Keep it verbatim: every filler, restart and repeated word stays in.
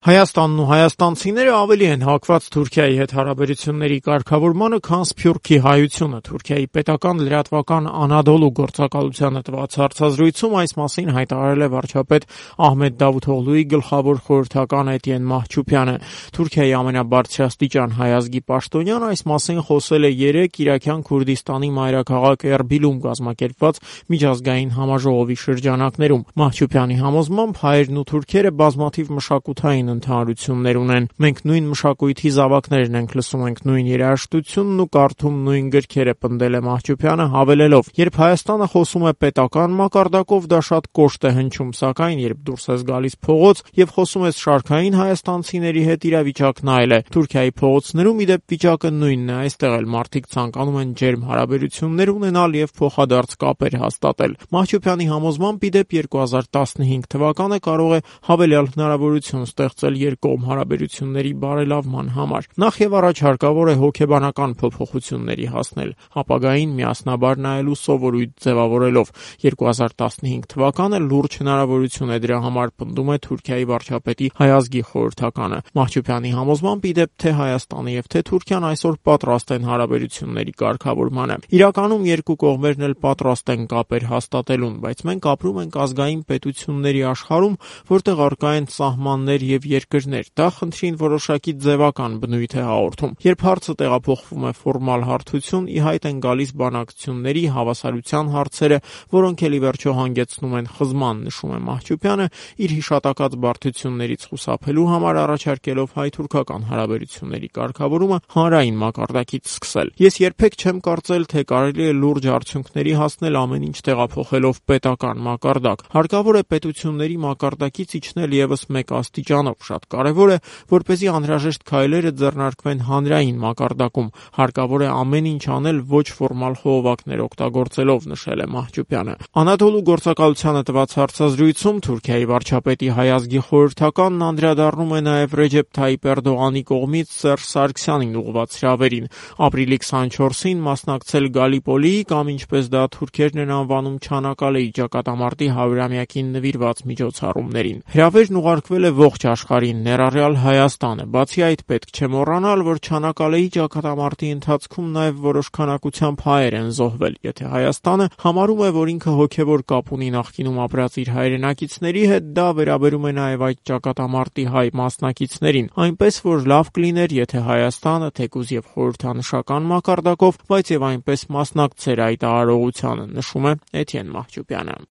Հայաստանն ու հայաստանցիները ավելի են հակված Թուրքիայի հետ հարաբերությունների կարգավորմանը, քան սփյուռքի հայությունը։ Թուրքիայի պետական լրատվական Անադոլու գործակալությանը տված հարցազրույցում այս մասին հայտարարել է վարչապետ Ահմեդ Դավութօղլուի գլխավոր խորհրդական Էտիեն Մահչուփյանը։ Թուրքիայի ամենաբարձրաստիճան հայ ազգի պաշտոնյան այս մասին խոսել է երեկ Իրաքյան Քուրդիստանի մայրաքաղաք Էրբիլում կազմակերպված միջազգային համաժողովի շրջանակներում։ Մահչուփյանի համոզմամբ հայերն ու թուրքերը բազմաթիվ մշակութային ընդհանրություններ ունեն։ Մենք նույն մշակույթի զավակներն ենք, լսում ենք նույն երաժշտությունն ու կարդում նույն գրքերը, պնդել է Մահչուփյանը, հավելելով. երբ Հայաստանը խոսում է պետական մակարդակով, դա շատ կոշտ է հնչում, սակայն երբ դուրս ես գալիս փողոց եւ խոսում ես շարքային հայաստանցիների հետ, իրավիճակն այլ է։ Թուրքիայի փողոցներում ի դեպ վիճակը նույնն է, այստեղ էլ մարդիկ ցանկանում են ջերմ հարաբերություններ ունենալ եւ փոխադարձ կապեր հաստատել։ Մահչուփյանի համոզմամբ ի դեպ երկու հազար տասնհինգ թվականը կարող է հավելյալ հնարավորություն ստեղծել երկկողմ հարաբերությունների բարելավման համար։ Նախ եւ առաջ հարկավոր է հոգեբանական փոփոխությունների հասնել, ապագային միասնաբար նայելու սովորույթ ձևավորելով։ երկու հազար տասնհինգ թվականը լուրջ հնարավորություն է դրա համար, պնդում է Թուրքիայի վարչապետի հայ ազգի խորհրդականը։ Մահչուփյանի համոզմամբ ի դեպ թե Հայաստանը եւ թե Թուրքիան այսօր պատրաստ են հարաբերությունների կարգավորմանը։ Իրականում երկու կողմերն էլ պատրաստ են կապեր հաստատելուն, բայց մենք ապրում ենք ազգային պետությունների աշխարհում, որտեղ առկա են սահմաններ եւ երկրներ։ Դա խնդրին որոշակի ձևական բնույթ է հաղորդում։ Երբ հարցը տեղափոխվում է ֆորմալ հարթություն, ի հայտ են գալիս բանակցությունների, հավասարության հարցերը, որոնք էլ ի վերջո հանգեցնում են խզման, նշում է Մահչուփյանը, իր հիշատակած բարդություններից խուսափելու համար առաջարկելով հայ-թուրքական հարաբերությունների կարգավորումը հանրային մակարդակից սկսել։ Ես երբեք չեմ կարծել, թե կարելի է լուրջ արդյունքների հասնել ամեն ինչ տեղափոխելով պետական մակարդակ։ Հարկավոր է պետությունների մակարդակից իջնել եւս մեկ աստիճանով։ Շատ կարևոր է, որպեսզի անհրաժեշտ քայլերը ձեռնարկվեն հանրային մակարդակում։ Հարկավոր է ամեն ինչ անել ոչ ֆորմալ խողովակներ օգտագործելով, նշել է Մահչուփյանը։ Անադոլու գործակալությանը տված հարցազրույցում Թուրքիայի վարչապետի հայ ազգի խորհրդականն անդրադառնում է նաև Ռեջեփ Թայիփ Էրդողանի կողմից Սերժ Սարգսյանին ուղղված հրավերին։ Ապրիլի քսանչորսին մասնակցել Գալիպոլիի կամ ինչպես դա թուրքերն են անվանում Չանակալեի ճակատամարտի հարյուրամյակին նվիրված միջոցառումներին։ Հրավերն ուղարկվել է ողջ աշխարհին, ներառյալ Հայաստանը։ Բացի այդ, պետք չէ մոռանալ, որ Չանակալեի ճակատամարտի ընթացքում նաև որոշ քանակությամբ հայեր են զոհվել։ Եթե Հայաստանը համարում է, որ ինքը հոգևոր կապ ունի նախկինում ապրած իր հայրենակիցների հետ, դա վերաբերում է նաև այդ ճակատամարտի հայ մասնակիցներին, այնպես որ լավ կլիներ, եթե Հայաստանը, թեկուզ եւ խորհրդանշական մակարդակով, բայց եւ այնպես մասնակցեր այդ արարողությանը, նշում է Էտիեն Մահչուփյանը։